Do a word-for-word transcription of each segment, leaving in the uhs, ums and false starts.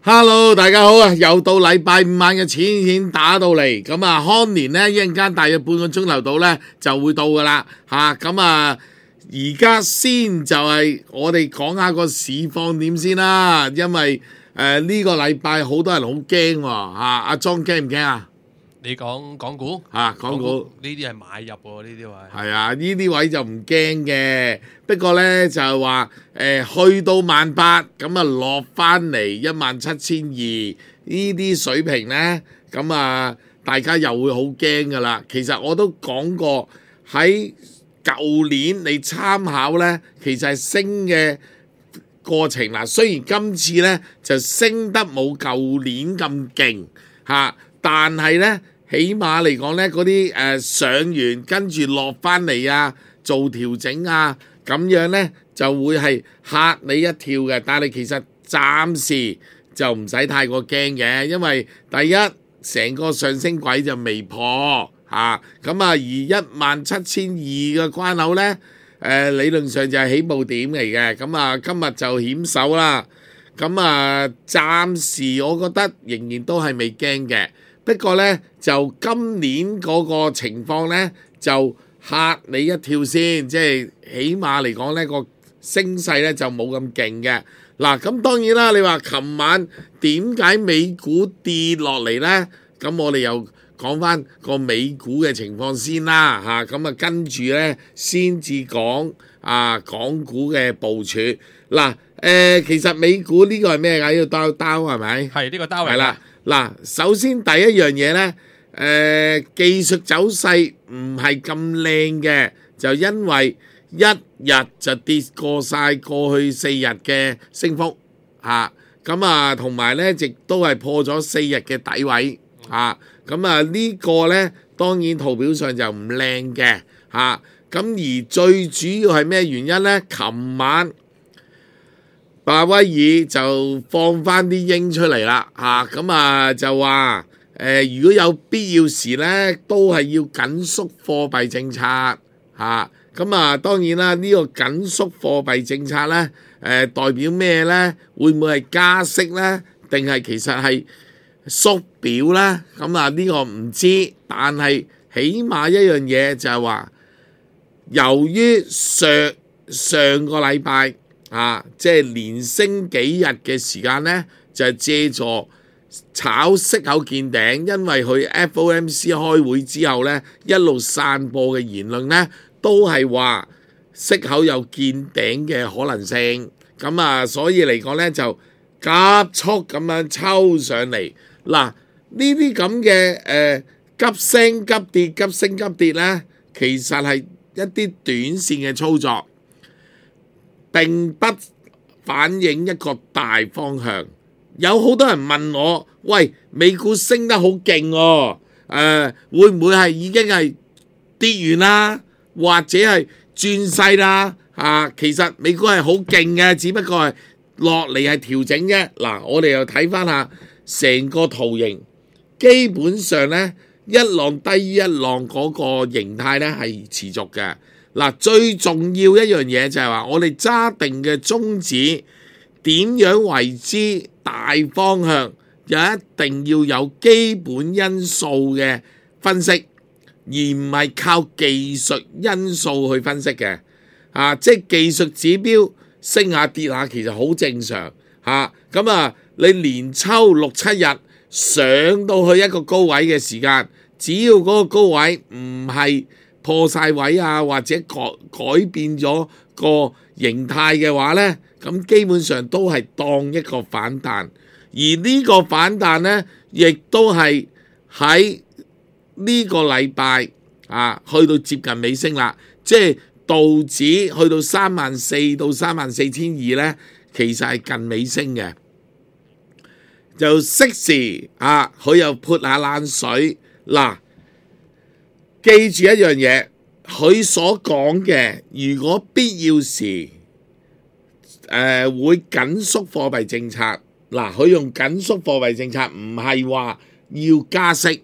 Hello，大家好啊！又到禮拜五晚嘅錢錢打到嚟，咁啊康年呢，一陣間大約半個鐘頭到呢就會到噶啦吓，咁啊而家先就係我哋講下個市況點先啦，因為誒呢、呃這個禮拜好多人好驚喎吓，阿莊驚唔驚啊？你講港股啊，港股呢啲係買入喎，呢啲位係啊，呢啲位就唔驚嘅。不過呢，就係話誒去到萬八咁啊落翻嚟一萬七千二呢啲水平呢，咁啊大家又會好驚噶啦。其實我都講過喺舊年你參考呢，其實係升嘅過程嗱。雖然今次呢就升得冇舊年咁勁嚇，但係呢，起碼嚟講呢，嗰啲誒上完跟住落翻嚟啊，做調整啊，咁樣呢就會係嚇你一跳嘅。但係其實暫時就唔使太過驚嘅，因為第一成個上升軌就未破嚇，咁啊而一萬七千二嘅關口呢，誒、呃、理論上就係起步點嚟嘅。咁啊今日就險守啦。咁啊暫時我覺得仍然都係未驚嘅。不過呢，就今年嗰個情況呢，就嚇你一跳先，即係起碼嚟講呢個升勢呢就冇咁勁嘅。嗱，咁當然啦，你話琴晚點解美股跌落嚟呢？咁我哋又講翻個美股嘅情況先啦，嚇咁啊跟住呢，先至講啊港股嘅部署。嗱，誒其實美股呢個係咩㗎？呢個刀刀係咪？係呢個單位係啦。嗱，首先第一樣嘢呢，誒、呃、技術走勢唔係咁靚嘅，就因為一日就跌過晒過去四日嘅升幅嚇，咁啊同埋呢亦都係破咗四日嘅底位嚇，咁啊呢個呢，當然圖表上就唔靚嘅嚇，咁、啊、而最主要係咩原因呢？琴晚鮑威爾就放翻啲鷹出嚟啦，嚇咁啊就話誒、呃，如果有必要時咧，都係要緊縮貨幣政策嚇。咁啊，當然啦，呢、這個緊縮貨幣政策咧，誒、呃、代表咩咧？會唔會係加息咧？定係其實係縮表咧？咁啊，呢個唔知，但係起碼一樣嘢就係話，由於上上個禮拜。啊，即係連升幾日嘅時間呢，就係借助炒息口見頂，因為佢 F O M C 開會之後呢，一路散播嘅言論呢，都係話息口有見頂嘅可能性。咁啊，所以嚟講呢，就急速咁樣抽上嚟。嗱，呢啲咁嘅誒急升急跌、急升急跌呢，其實係一啲短線嘅操作。並不反映一個大方向。有好多人問我：喂，美股升得好勁喎，誒、呃，會唔會係已經係跌完啦，或者係轉勢啦？啊，其實美股係好勁嘅，只不過係落嚟係調整啫。嗱，我哋又睇翻下成個圖形，基本上呢，一浪低於一浪嗰個形態呢係持續嘅。嗱，最重要一樣嘢就係話，我哋揸定嘅宗旨點樣為之大方向，又一定要有基本因素嘅分析，而唔係靠技術因素去分析嘅。啊，即係技術指標升下跌下，其實好正常嚇。咁啊，你連抽六七日上到去一個高位嘅時間，只要嗰個高位唔係破晒位啊，或者改改變咗個形態嘅話呢，咁基本上都係當一個反彈，而呢個反彈呢，亦都係喺呢個禮拜啊，去到接近尾聲啦，即係道指去到三萬四到三萬四千二呢，其實係近尾聲嘅，就適時啊，佢又潑下冷水嗱。記住一樣嘢，佢所講嘅，如果必要時，誒、呃、會緊縮貨幣政策。嗱，佢用緊縮貨幣政策，唔係話要加息。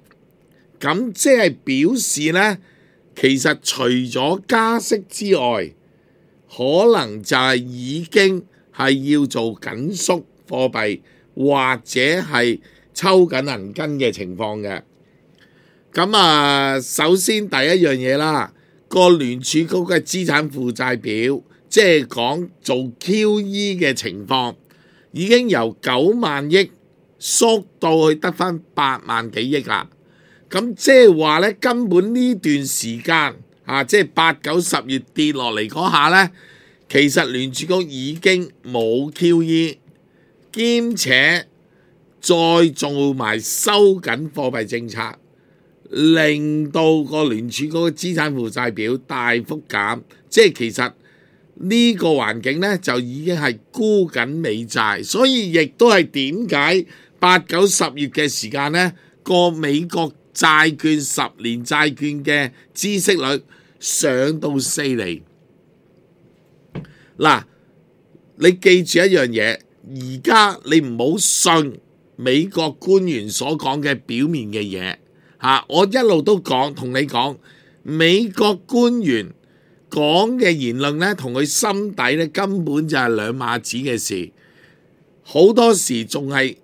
咁即係表示呢，其實除咗加息之外，可能就係已經係要做緊縮貨幣，或者係抽緊銀根嘅情況嘅。咁啊，首先第一樣嘢啦，個聯儲局嘅資產負債表，即係講做 Q E 嘅情況，已經由九萬億縮到去得返八萬幾億啦。咁即係話咧，根本呢段時間啊，即係八九十月跌落嚟嗰下咧，其實聯儲局已經冇 Q E， 兼且再做埋收緊貨幣政策，令到個聯儲局嘅資產負債表大幅減，即係其實呢個環境咧就已經係沽緊美債，所以亦都係點解八九十月嘅時間咧，個美國債券十年債券嘅孳息率上到四厘。嗱，你記住一樣嘢，而家你唔好信美國官員所講嘅表面嘅嘢嚇，我一路都講同你講，美國官員講嘅言論咧，同佢心底咧根本就係兩碼子嘅事，好多時仲係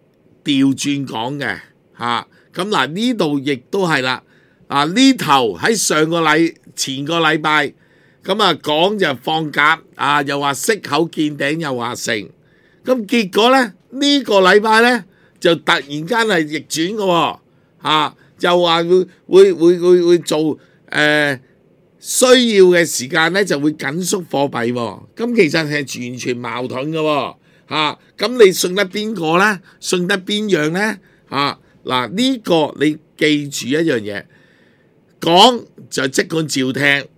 調轉講嘅嚇。咁嗱，呢度亦都係啦，啊呢頭喺上個禮前個禮拜咁啊講就放鴿啊，又話息口見頂，又話成，咁結果咧呢、呢個禮拜咧就突然間係逆轉嘅喎，啊又話會會會會會做誒、呃、需要嘅時間咧就會緊縮貨幣喎，咁其實係完全矛盾嘅喎，嚇咁你信得邊個咧？信得邊樣咧？嚇！嗱，呢個你記住一樣嘢，講就即管照聽，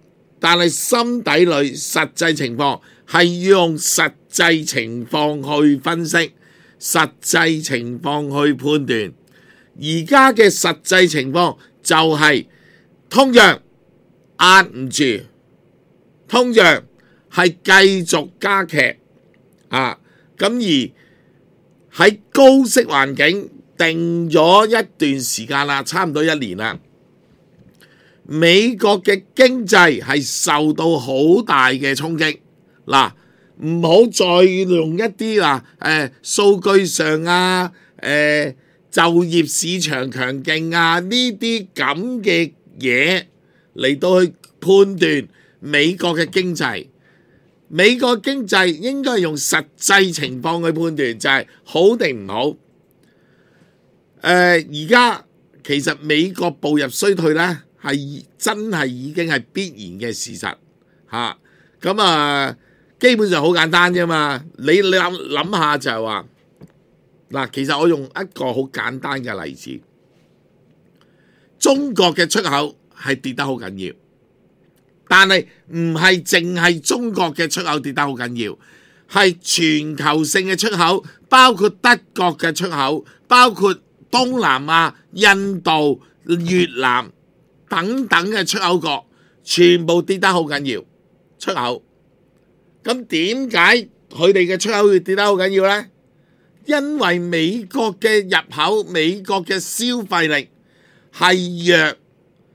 但係心底裏實際情況係要用實際情況去分析，實際情況去判斷。而家嘅實際情況就係通脹壓唔住，通脹係繼續加劇啊！咁而喺高息環境定咗一段時間啦，差唔多一年啦。美國嘅經濟係受到好大嘅衝擊。嗱，唔好再用一啲啊誒數據上啊誒、呃、就業市場強勁啊呢啲咁嘅嘢嚟到去判斷美國嘅經濟。美國經濟應該係用實際情況去判斷，就係好定唔好。誒而家其實美國步入衰退咧，係真係已經係必然嘅事實嚇。咁啊，基本上好簡單啫嘛。你你諗諗下就係話嗱，其實我用一個好簡單嘅例子，中國嘅出口係跌得好緊要，但係唔係淨係中國嘅出口跌得好緊要，係全球性嘅出口，包括德國嘅出口，包括東南亞、印度、越南等等嘅出口國，全部跌得好緊要。出口，咁點解佢哋嘅出口會跌得好緊要呢？因為美國嘅入口、美國嘅消費力係弱，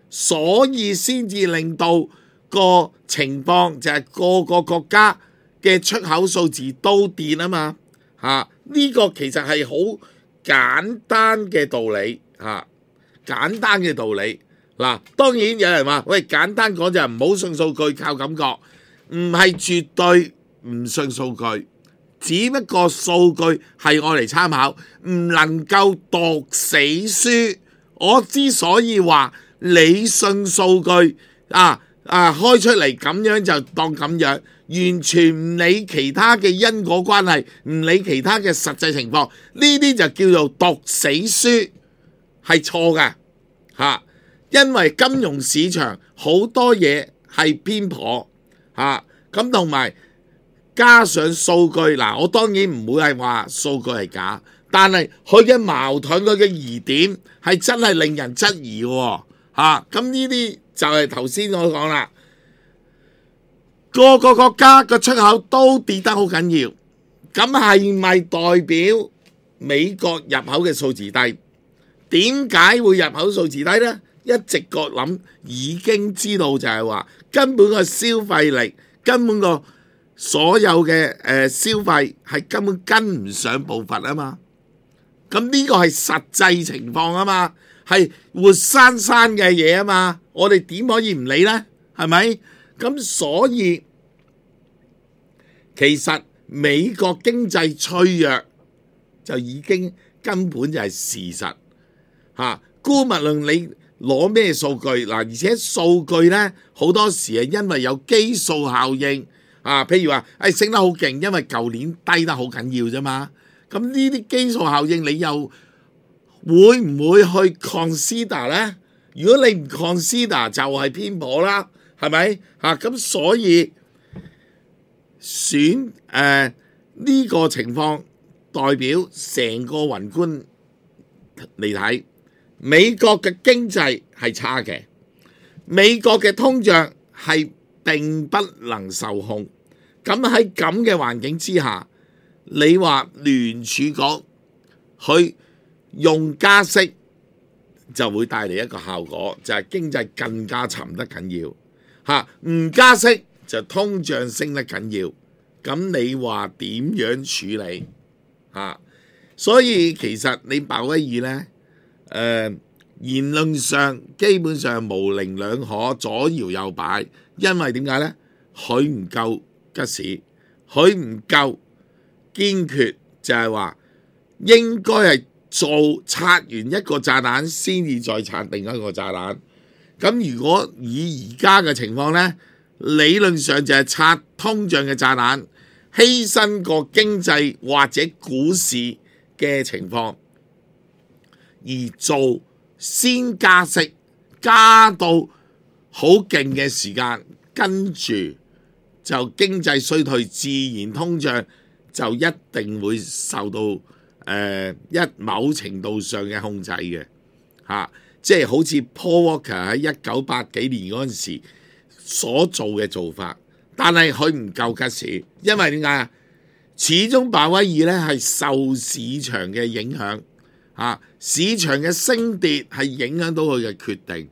所以先至令到個情況就係個個國家嘅出口數字都跌啊嘛。嚇、啊，呢、這個其實係好簡單嘅道理嚇、啊，簡單嘅道理嗱、啊。當然有人話：喂，簡單講就係唔好信數據，靠感覺，唔係絕對唔信數據，只不過數據係我嚟參考，唔能夠讀死書。我之所以話你信數據啊啊開出嚟咁樣就當咁樣，完全唔理其他嘅因果關係，唔理其他嘅實際情況，呢啲就叫做讀死書，係錯嘅嚇。因為金融市場好多嘢係偏頗嚇，咁同埋加上數據嗱，我當然唔會係話數據係假，但係佢嘅矛盾、佢嘅疑點係真係令人質疑喎嚇。咁呢啲就係頭先我講啦，個個國家個出口都跌得好緊要，咁係咪代表美國入口嘅數字低？點解會入口數字低呢？一直覺諗已經知道就係話根本個消費力，根本個所有嘅誒消費係根本跟唔上步伐啊嘛咁呢個係實際情況啊嘛，係活生生嘅嘢啊嘛，我哋點可以唔理呢？係咪？咁所以其實美國經濟脆弱就已經根本就係事實嚇。姑勿論你攞咩數據嗱，而且數據呢好多時係因為有基數效應啊，譬如話誒、哎、升得好勁，因為舊年低得好緊要啫嘛。咁呢啲基數效應，你又會唔會去 consider 呢？如果你唔 consider 就係偏頗啦，係咪嚇？咁、啊、所以選誒呢、呃呢個情況代表成個宏觀嚟睇，美國嘅經濟係差嘅，美國嘅通脹係並不能受控。咁喺咁嘅環境之下，你話聯儲局去用加息就會帶嚟一個效果，就係、是、經濟更加沉得緊要嚇。唔加息就通脹升得緊要。咁你話點樣處理嚇？所以其實你鮑威爾呢，誒、呃、言論上基本上模棱兩可，左搖右擺，因為點解呢？佢唔夠吉士，佢唔夠堅決，就係話應該係做拆完一個炸彈先至再拆另一個炸彈。咁如果以而家嘅情況呢，理論上就係拆通脹嘅炸彈，犧牲個經濟或者股市嘅情況，而做先加息，加到好勁嘅時間，跟住就經濟衰退，自然通脹就一定會受到誒、呃、一某程度上嘅控制嘅嚇、啊，即係好似 Paul Volcker 喺一九八幾年嗰陣時所做嘅做法，但係佢唔夠吉士，因為點解啊？始終鮑威爾咧係受市場嘅影響嚇、啊，市場嘅升跌係影響到佢嘅決定，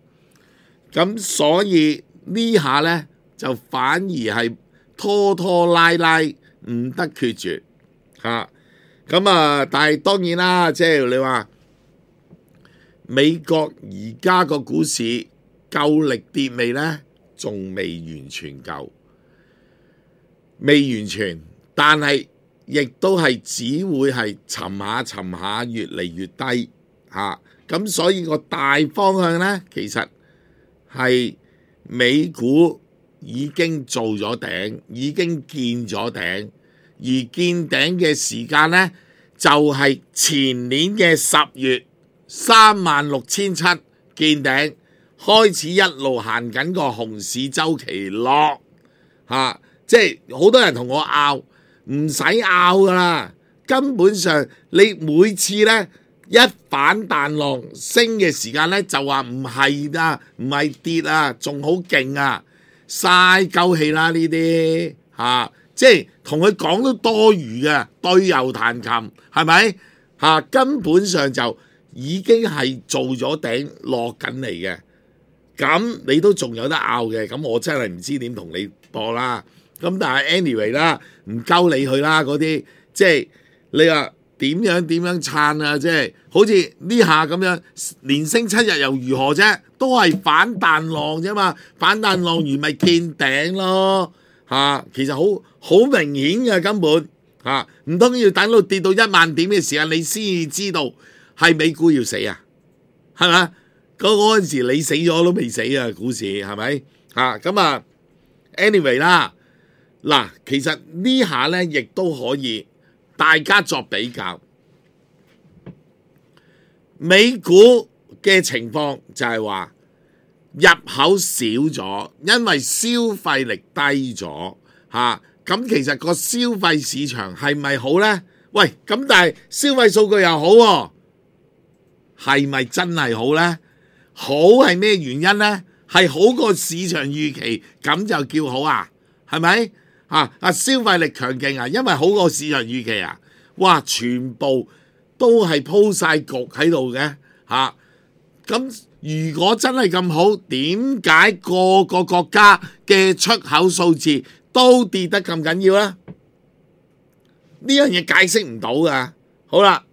咁所以呢下咧就反而係拖拖拉拉唔得決絕嚇，咁啊！但係當然啦，即係你話美國而家個股市夠力跌未咧？仲未完全夠，未完全，但係亦都係只會係沉下沉下，越嚟越低嚇。咁、啊、所以個大方向咧，其實係美股已經做咗頂，已經見咗頂，而見頂嘅時間咧就係、是、前年嘅十月三萬六千七見頂。開始一路行緊個熊市周期落嚇、啊，即係好多人同我拗，唔使拗噶啦，根本上你每次咧一反彈浪升嘅時間咧就話唔係啊，唔係跌啊，仲好勁啊，嘥鳩氣啦呢啲嚇，即係同佢講都多餘嘅，對牛彈琴係咪嚇？根本上就已經係做咗頂落緊嚟嘅。咁你都仲有得拗嘅，咁我真係唔知點同你播啦。咁但係 anyway 啦，唔鳩你去啦嗰啲，即係你話點樣點樣撐啊？即係好似呢下咁樣，連升七日又如何啫？都係反彈浪啫嘛，反彈浪完咪見頂咯嚇、啊。其實好好明顯嘅根本嚇，唔通要等到跌到一萬點嘅時間，你先至知道係美股要死啊？係咪？嗰嗰陣時你死咗都未死啊，股市係咪嚇？咁啊 anyway 啦，嗱，其實呢下咧亦都可以大家作比較，美股嘅情況就係話入口少咗，因為消費力低咗嚇。咁、啊、其實個消費市場係咪好咧？喂，咁但係消費數據又好喎、啊，係咪真係好咧？好係咩原因呢？係好過市場預期，咁就叫好啊？係咪啊？啊消費力強勁啊，因為好過市場預期啊！哇，全部都係鋪晒局喺度嘅嚇。咁、啊、如果真係咁好，點解個個國家嘅出口數字都跌得咁緊要呢？呢樣嘢解釋唔到噶。好啦，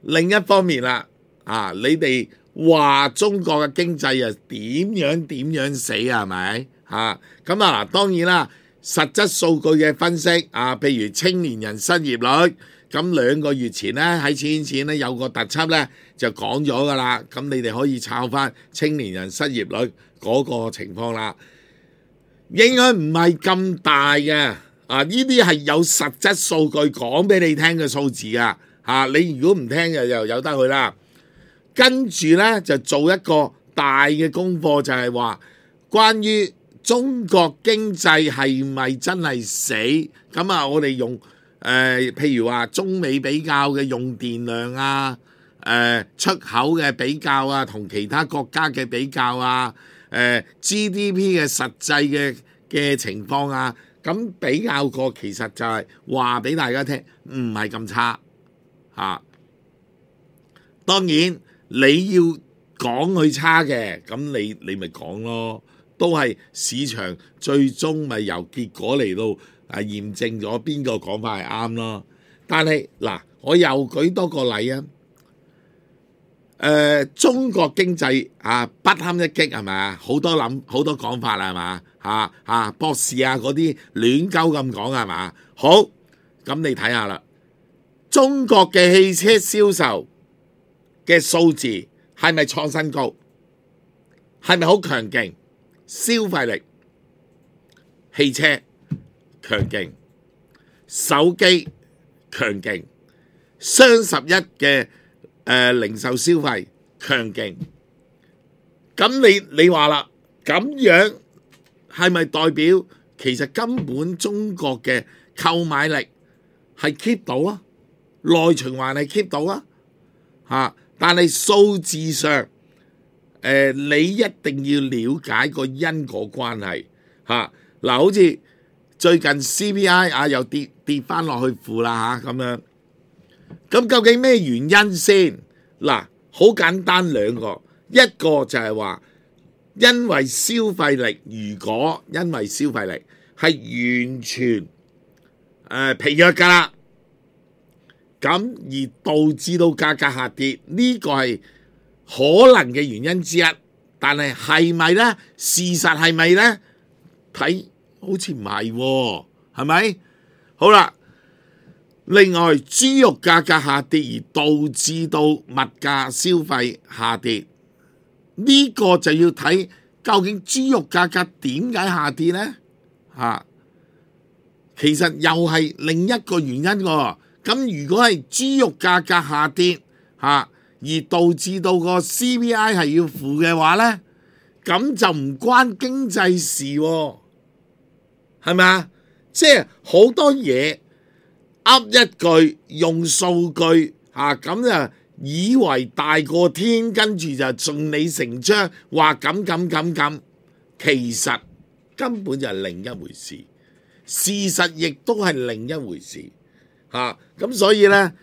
另一方面啦，啊，你哋話中國嘅經濟啊點樣點樣死啊，係咪？嚇咁啊嗱，當然啦，實質數據嘅分析啊，譬如青年人失業率，咁兩個月前咧喺錢錢咧有個特輯咧就講咗噶啦，咁你哋可以抄翻青年人失業率嗰個情況啦，影響唔係咁大嘅，啊，呢啲係有實質數據講俾你聽嘅數字啊，嚇你如果唔聽就又由得佢啦。跟住咧就做一個大嘅功課，就係話關於中國經濟係咪真係死？咁啊，我哋用誒、呃、譬如話中美比較嘅用電量啊，誒、呃、出口嘅比較啊，同其他國家嘅比較啊，誒、呃、G D P 嘅實際嘅嘅情況啊，咁比較過其實就係話俾大家聽，唔係咁差嚇、啊。當然你要講佢差嘅，咁你你咪講咯。都係市場最終咪由結果嚟到啊驗證咗邊個講法係啱咯。但係嗱，我又舉多個例啊。誒、呃，中國經濟啊不堪一擊係咪啊？好多諗好多講法啦係嘛？嚇嚇博士啊嗰啲亂鳩咁講係嘛？好，咁你睇下啦，中國嘅汽車銷售嘅數字係咪創新高？係咪好強勁？消費力，汽車強勁，手機強勁，雙十一嘅誒零售消費強勁。咁你你話啦，咁樣係咪代表其實根本中國嘅購買力係 keep 到啊？內循環係 keep 到啊？嚇！但係數字上。誒、呃，你一定要了解個因果關係嚇。嗱、啊，好似最近 C P I 啊又跌跌翻落去負啦嚇咁樣。咁究竟咩原因先？嗱、啊，好簡單兩個，一個就係話因為消費力，如果因為消費力係完全誒、呃、疲弱㗎啦，咁而導致到價格下跌，呢、這個係可能嘅原因之一，但係係咪呢？事實係咪呢？睇好似唔係喎，係咪？好啦，另外豬肉價格下跌而導致到物價消費下跌，呢個就要睇究竟豬肉價格點解下跌呢？嚇，其實又係另一個原因喎。咁如果係豬肉價格下跌嚇，而導致到個 C P I 係要負嘅話呢，咁就唔關經濟事喎，係咪啊？即係好多嘢噏一句用數據嚇，咁、啊、就以為大過天，跟住就順理成章話咁咁咁咁，其實根本就係另一回事，事實亦都係另一回事嚇。咁、啊、所以呢，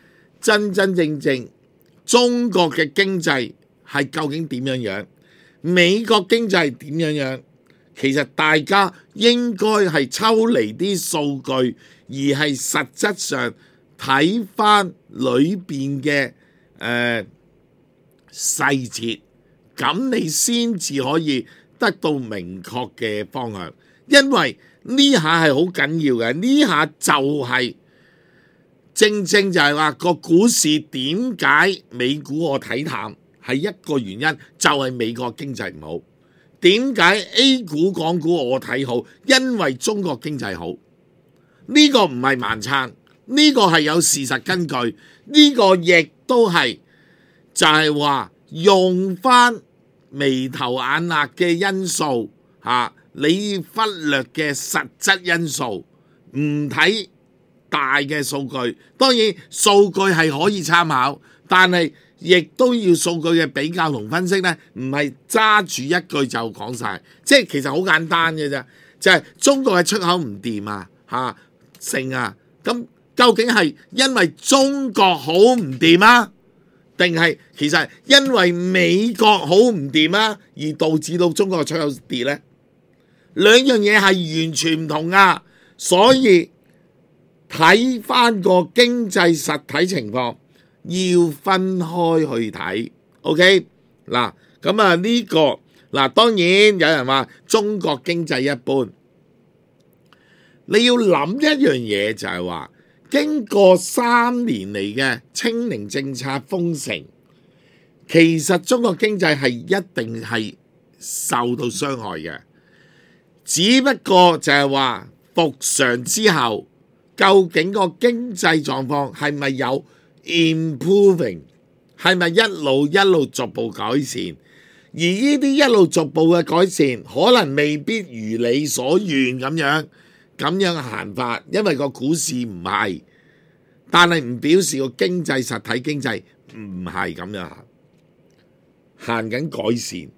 真真正正。中國嘅經濟係究竟點樣樣？美國經濟係點樣樣？其實大家應該係抽離啲數據，而係實質上睇翻裏邊嘅誒細節，咁你先至可以得到明確嘅方向。因為呢下係好緊要嘅，呢下就係、是。正正就係話個股市點解美股我睇淡係一個原因，就係、是、美國經濟唔好。點解 A 股港股我睇好？因為中國經濟好。呢、這個唔係盲撐，呢、這個係有事實根據。呢、這個亦都係就係話用翻眉頭眼額嘅因素嚇、啊，你忽略嘅實質因素，唔睇大嘅數據，當然數據係可以參考，但係亦都要數據嘅比較同分析呢，唔係揸住一句就講晒，即係其實好簡單嘅啫，就係、是、中國嘅出口唔掂啊，嚇成啊，咁究竟係因為中國好唔掂啊，定係其實因為美國好唔掂啊，而導致到中國嘅出口跌呢？兩樣嘢係完全唔同啊，所以睇翻個經濟實體情況，要分開去睇。OK 嗱，咁啊呢個嗱，當然有人話中國經濟一般，你要諗一樣嘢就係話，經過三年嚟嘅清零政策封城，其實中國經濟係一定係受到傷害嘅，只不過就係話復常之後，究竟個經濟狀況係咪有 improving， 係咪一路一路逐步改善？而呢啲一路逐步嘅改善，可能未必如你所願咁樣咁樣行法，因為個股市唔係，但係唔表示個經濟實體經濟唔係咁樣行，行緊改善。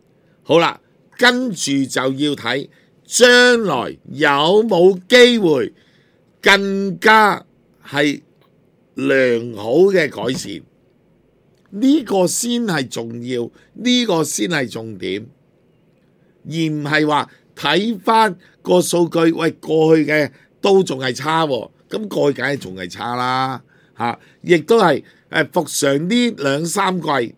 好啦，跟住就要睇將來有冇機會更加係良好嘅改善。呢個先係重要，呢個先係重點，而唔係話睇翻個數據，喂，過去嘅都仲係差喎，咁過去梗係仲係差啦嚇，亦都係誒復常呢兩三季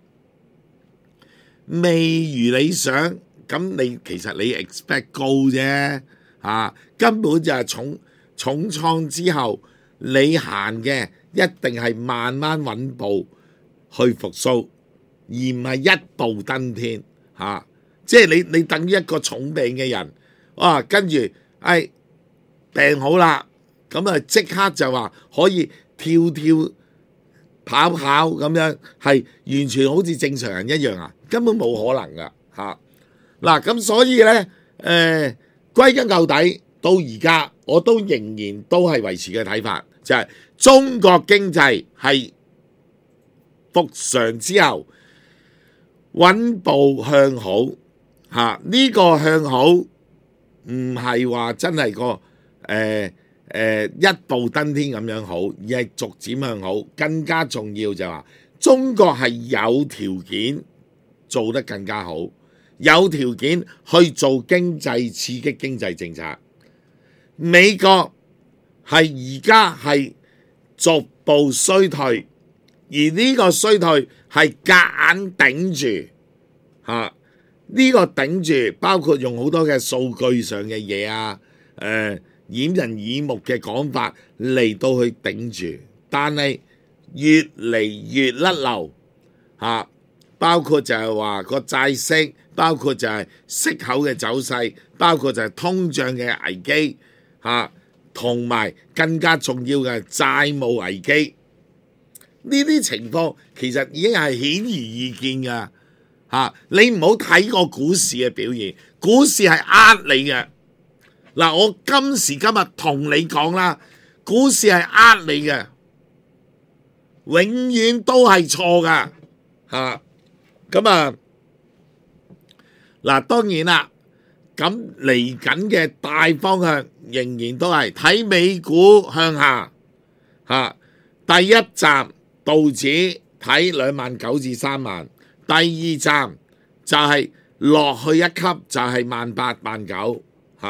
未如理想，咁你其實你 expect 高啫嚇，根本就係重重創之後，你行嘅一定係慢慢穩步去復甦，而唔係一步登天嚇、啊。即係你你等於一個重病嘅人，哇、啊！跟住誒病好啦，咁啊即刻就話可以跳跳跑跑咁樣，係完全好似正常人一樣啊，根本冇可能噶嚇。嗱、啊、咁所以咧誒、呃，歸根究底到而家我都仍然都係維持嘅睇法，就係、是、中國經濟係復常之後穩步向好嚇，呢、這個向好唔係話真係個誒誒、呃呃、一步登天咁樣好，而係逐漸向好。更加重要就係話中國係有條件做得更加好，有條件去做經濟刺激經濟政策。美國係而家係逐步衰退。而呢個衰退係夾硬頂住嚇，呢個頂住包括用好多嘅數據上嘅嘢啊，誒掩人耳目嘅講法嚟到去頂住，但係越嚟越甩漏嚇，包括就係話個債息，包括就係息口嘅走勢，包括就係通脹嘅危機嚇，同埋更加重要嘅債務危機。呢啲情況其實已經係顯而易見㗎嚇，你唔好睇個股市嘅表現，股市係呃你嘅。嗱，我今時今日同你講啦，股市係呃你嘅，永遠都係錯㗎嚇。咁啊，嗱當然啦，咁嚟緊嘅大方向仍然都係睇美股向下嚇，第一站。道指睇兩萬九至三萬，第二站就係落去一級就係萬八萬九嚇，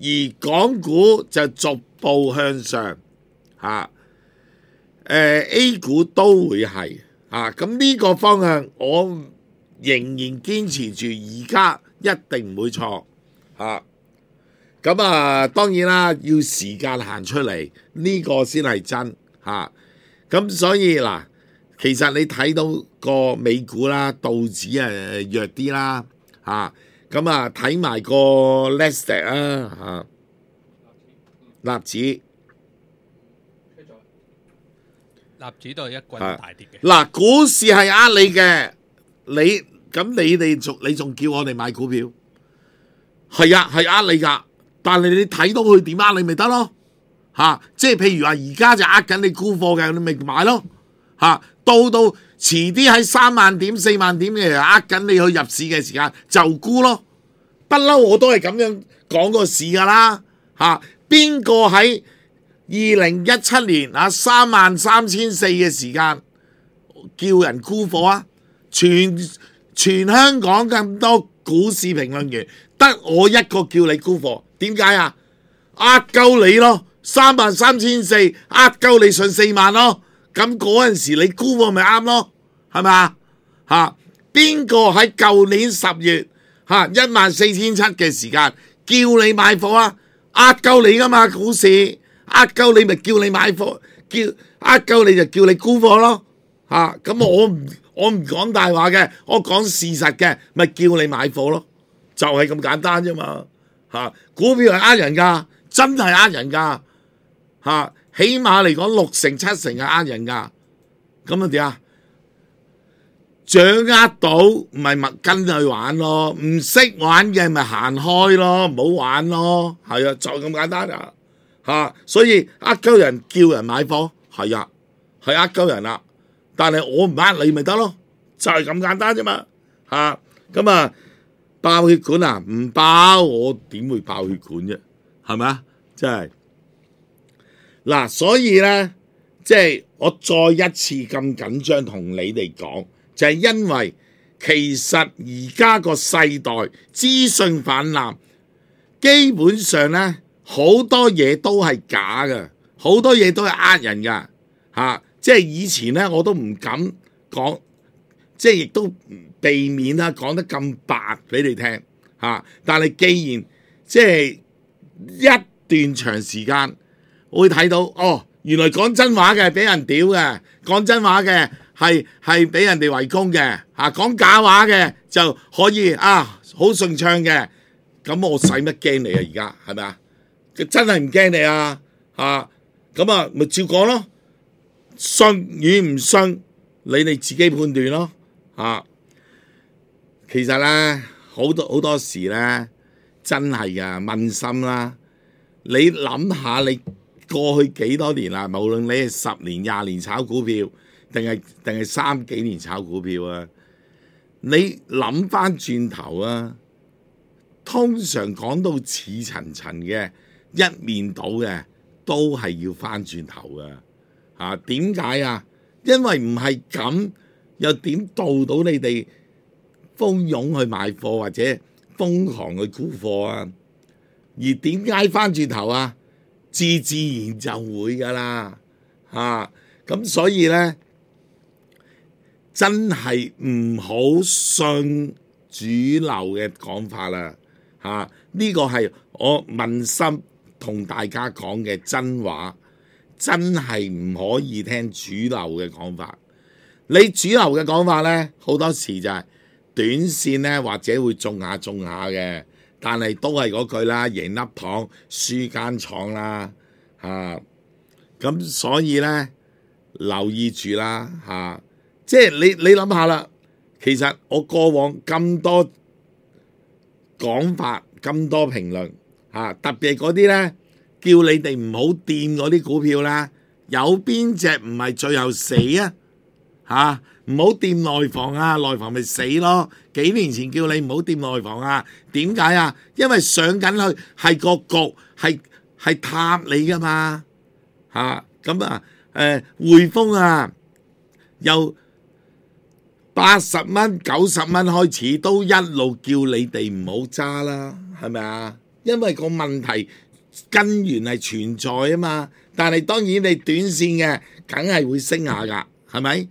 而港股就逐步向上嚇，誒、呃、A 股都會係嚇，咁、啊、呢個方向我仍然堅持住，而家一定唔會錯嚇。咁啊，啊當然啦，要時間行出嚟，呢、這個先係真嚇。啊咁所以嗱，其實你睇到個美股啦，道指誒弱啲啦，嚇咁啊睇埋個 Nasdaq 啊嚇，納指，納指都係一棍大跌嘅。嗱，股市係呃你嘅，你咁你哋仲你仲叫我哋買股票？係啊，係呃你㗎，但係你睇到佢點呃你咪得咯。嚇、啊，即係譬如話，而家就呃緊你沽貨嘅，你咪買咯。嚇、啊，到到遲啲喺三萬點、四萬點嘅，呃緊你去入市嘅時間就沽咯。不嬲我都係咁樣講個市㗎啦。嚇、啊，邊個喺二零一七年啊三萬三千四嘅時間叫人沽貨啊？全全香港咁多股市評論員，得我一個叫你沽貨，點解啊？呃鳩你咯！三萬三千四，呃鳩你信四萬咯，咁嗰陣時你沽貨咪啱咯，係咪啊？嚇，邊個喺舊年十月嚇一萬四千七嘅時間叫你買貨啊？呃鳩你噶嘛股市，呃鳩你咪叫你買貨，叫呃鳩你就叫你沽貨咯嚇。咁、啊、我唔我唔講大話嘅，我講事實嘅，咪叫你買貨咯，就係、是、咁簡單啫嘛嚇。股票係呃人㗎，真係呃人㗎嚇，起碼嚟講六成七成係呃人㗎。咁啊點啊？掌握到咪咪跟去玩咯，唔識玩嘅咪行開咯，唔好玩咯，係啊，就咁簡單啊嚇。所以呃鳩人叫人買貨，係啊，係呃鳩人啦。但係我唔呃你咪得咯，就係、是、咁簡單啫嘛嚇。咁啊爆血管啊，唔爆我點會爆血管啫？係咪啊？真係嗱，所以咧，即係我再一次咁緊張同你哋講。就係因為其實而家個世代資訊氾濫，基本上咧好多嘢都係假嘅，好多嘢都係呃人噶嚇、啊。即係以前咧我都唔敢講，即係亦都避免啦講得咁白俾你聽嚇、啊。但係既然即係一段長時間，我會睇到哦，原來講真話嘅俾人屌嘅，講真話嘅。係係俾人哋圍攻嘅嚇，講假話嘅就可以啊，好順暢嘅。咁我使乜驚你啊？而家係咪啊？真係唔驚你啊嚇！咁啊，咪照講咯。信與唔信，你哋自己判斷咯嚇。其實咧，好多好多時咧，真係噶問心啦。你諗下，你過去幾多年啦？無論你係十年、廿年炒股票。定係定係三幾年炒股票啊？你諗翻轉頭啊，通常講到似層層嘅一面倒嘅，都係要翻轉頭噶嚇。點解啊？因為唔係咁，又點導到你哋蜂擁去買貨或者瘋狂去沽貨啊？而點解翻轉頭啊？自自然就會噶啦嚇。咁所以咧。真係唔好信主流嘅講法啦嚇！呢個係我問心同大家講嘅真話，真係唔可以聽主流嘅講法。你主流嘅講法呢，好多時就係短線呢，或者會中下中下嘅，但係都係嗰句啦，贏粒糖輸間廠啦嚇。咁所以呢，留意住啦嚇。即係你你諗下啦，其實我過往咁多講法、咁多評論嚇，特別係嗰啲咧叫你哋唔好掂嗰啲股票啦，有邊隻唔係最後死啊嚇？唔好掂內房啊，內房咪死咯。幾年前叫你唔好掂內房啊，點解啊？因為上緊去係個局係係塌你噶嘛嚇。咁啊誒匯豐啊又。八十蚊、九十蚊開始都一路叫你哋唔好揸啦，係咪啊？因為個問題根源係存在啊嘛。但係當然你短線嘅，梗係會升下㗎，係咪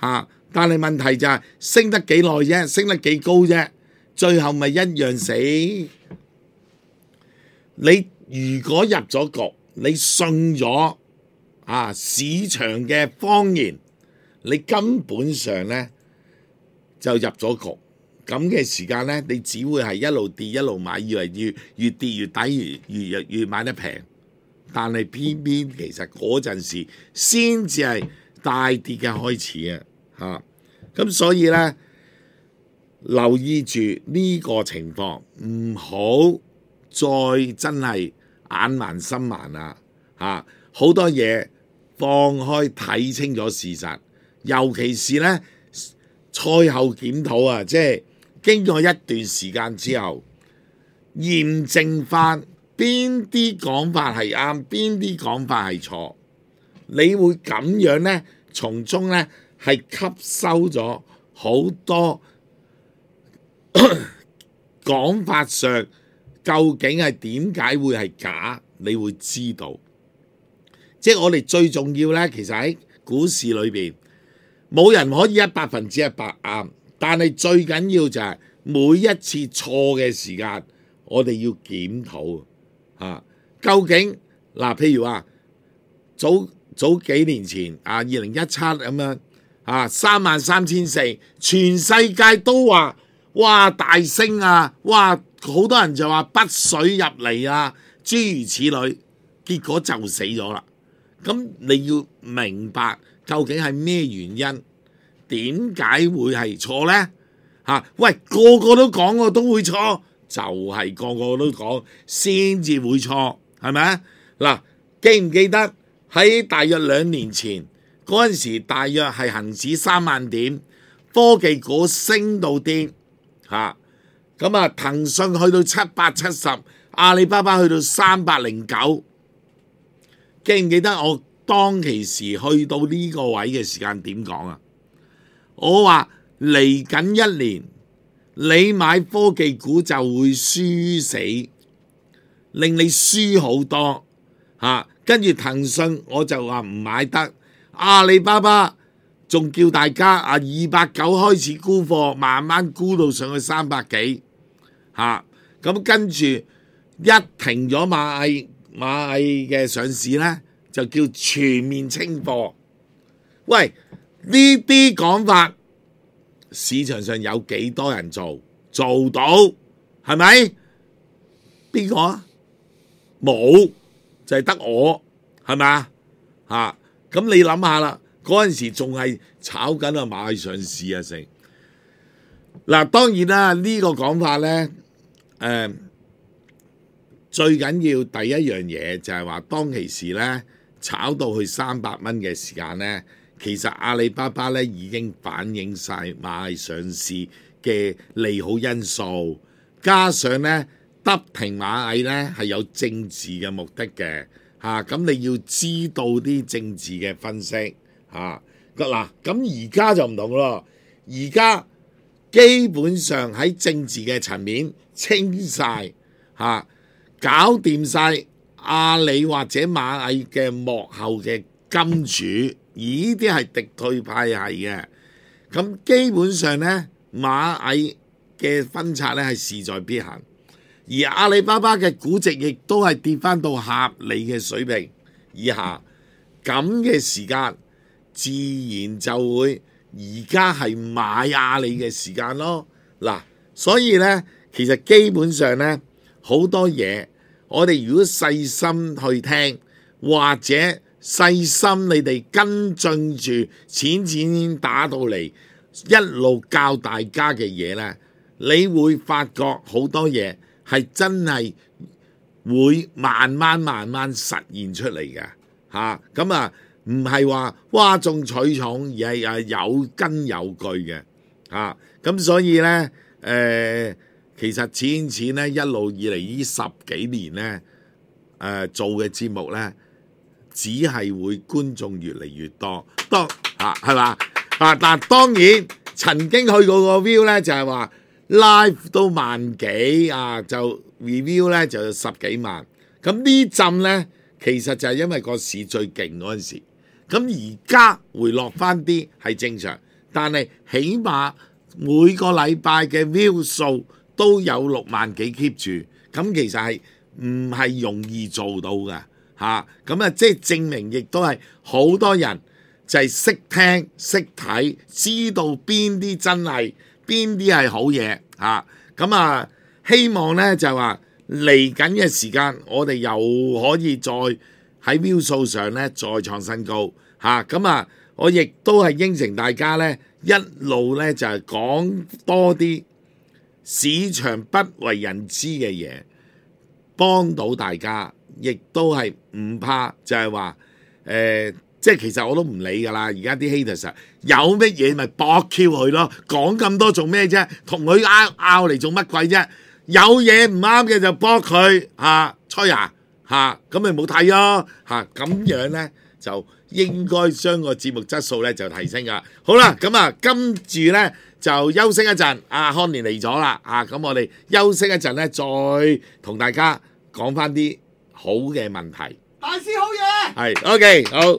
嚇？但係問題就係升得幾耐啫，升得幾高啫，最後咪一樣死。你如果入咗局，你信咗啊市場嘅謊言，你根本上咧。就入咗局，咁嘅時間咧，你只會係一路跌一路買，以為越越跌越抵，越越越越買得平。但係偏偏其實嗰陣時先至係大跌嘅開始啊！嚇，咁所以咧留意住呢個情況，唔好再真係眼盲心盲啦！嚇，好多嘢放開睇清楚事實，尤其是咧。賽後檢討啊，即係經過一段時間之後，驗證翻邊啲講法係啱，邊啲講法係錯，你會咁樣呢，從中呢係吸收咗好多講法上究竟係點解會係假，你會知道。即係我哋最重要呢，其實喺股市裏邊冇人可以一百分之一百啱，但係最緊要就係每一次錯嘅時間，我哋要檢討啊，究竟嗱，譬如話早早幾年前啊，二零一七咁樣啊，三萬三千四，全世界都話哇大升啊，哇好多人就話北水入嚟啊，諸如此類，結果就死咗啦。咁你要明白究竟係咩原因？點解會係錯呢？嚇、啊！喂，個個都講我都會錯，就係、是、個個都講先至會錯，係咪啊？嗱，記唔記得喺大約兩年前嗰陣時，大約係恆指三萬點，科技股升到癲嚇，咁啊騰訊去到七百七十，阿里巴巴去到三百零九。記唔記得我當其時去到呢個位嘅時間點講啊？我話嚟緊一年，你買科技股就會輸死，令你輸好多嚇。跟住騰訊我就話唔買得，阿里巴巴仲叫大家啊二百九開始沽貨，慢慢沽到上去三百幾嚇。咁跟住一停咗螞蟻。螞蟻嘅上市呢，就叫全面清貨。喂，呢啲講法，市場上有幾多人做做到？係咪？邊個啊？冇，就係得我，係咪啊？嚇！咁你諗下啦，嗰陣時仲係炒緊啊螞蟻上市啊成。嗱，當然啦，呢個講法呢。誒、uh,。最緊要第一樣嘢就係話，當其時咧炒到去三百蚊嘅時間咧，其實阿里巴巴咧已經反映晒螞蟻上市嘅利好因素，加上咧得停螞蟻咧係有政治嘅目的嘅嚇，咁、啊、你要知道啲政治嘅分析嚇。嗱、啊，咁而家就唔同咯，而家基本上喺政治嘅層面清晒。嚇、啊。搞掂晒阿里或者螞蟻嘅幕後嘅金主，而呢啲係敵對派系嘅。咁基本上呢，螞蟻嘅分拆呢係勢在必行，而阿里巴巴嘅估值亦都係跌翻到合理嘅水平以下。咁嘅時間，自然就會而家係買阿里嘅時間咯。嗱，所以呢，其實基本上呢，好多嘢。我哋如果細心去聽，或者細心你哋跟進住淺淺打到嚟，一路教大家嘅嘢呢，你會發覺好多嘢係真係會慢慢慢慢實現出嚟嘅嚇。咁啊，唔係話嘩眾取寵，而係係有根有據嘅嚇。咁、啊、所以呢。誒、呃。其實淺淺咧一路以嚟呢十幾年咧，誒、呃、做嘅節目咧，只係會觀眾越嚟越多，當啊係嘛啊，但當然曾經去過個 view 咧就係話 live 都萬幾啊，就 review 咧就十幾萬。咁呢陣咧其實就係因為個市最勁嗰陣時，咁而家回落翻啲係正常，但係起碼每個禮拜嘅 view 數都有六萬幾 keep 住，咁其實係唔係容易做到嘅嚇？咁啊，即係證明亦都係好多人就係識聽識睇，知道邊啲真係邊啲係好嘢嚇。咁啊，希望咧就話嚟緊嘅時間，我哋又可以再喺 view 數上咧再創新高嚇。咁啊，我亦都係應承大家咧，一路咧就係講多啲市場不為人知嘅嘢，幫到大家，亦都係唔怕，就係話誒，即係其實我都唔理㗎啦。而家啲 haters 有乜嘢咪駁 Q 佢咯，講咁多做咩啫？同佢拗拗嚟做乜鬼啫？有嘢唔啱嘅就駁佢嚇，吹啊嚇，咁咪冇睇咯嚇，咁樣咧就應該將個節目質素咧就提升㗎。好啦，咁啊，跟住咧就休息一陣。阿康年嚟咗啦，啊，咁我哋休息一陣咧，再同大家講翻啲好嘅問題。大師好嘢，係 OK 好。